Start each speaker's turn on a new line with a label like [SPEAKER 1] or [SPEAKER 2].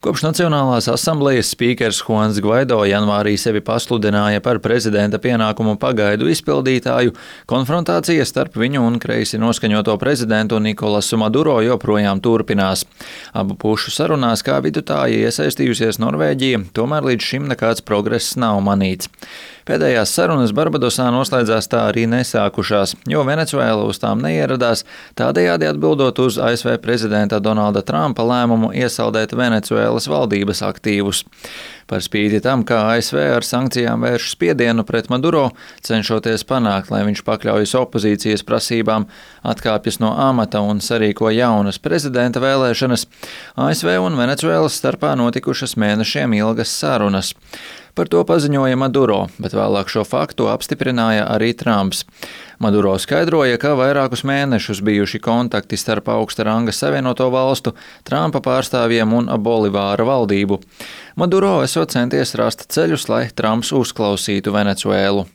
[SPEAKER 1] Kopš Nacionālās asamblejas spīkers Juans Gvaido janvārī sevi pasludināja par prezidenta pienākumu pagaidu izpildītāju, konfrontācija starp viņu un kreisi noskaņoto prezidentu Nikolasu Maduro joprojām turpinās. Abu pušu sarunās kā vidutāja iesaistījusies Norvēģija, tomēr līdz šim nekāds progress nav manīts. Pēdējās sarunas Barbadosā noslēdzās tā arī nesākušās, jo Venecuēla uz tām neieradās, tādējādi atbildot uz ASV prezidenta Donalda Trumpa lēmumu iesaldēt Venecuēlas valdības aktīvus. Par spīti tam, kā ASV ar sankcijām vērš spiedienu pret Maduro, cenšoties panākt, lai viņš pakļaujas opozīcijas prasībām, atkāpjas no amata un sarīko jaunas prezidenta vēlēšanas, ASV un Venecuēlas starpā notikušas mēnešiem ilgas sarunas. Par to paziņoja Maduro, bet vēlāk šo faktu apstiprināja arī Trumps. Maduro skaidroja, ka vairākus mēnešus bijuši kontakti starp augsta ranga Savienoto valstu, Trumpa pārstāvjiem un Bolivāra valdību. Maduro esot centies rast ceļus, lai Trumps uzklausītu Venecuēlu.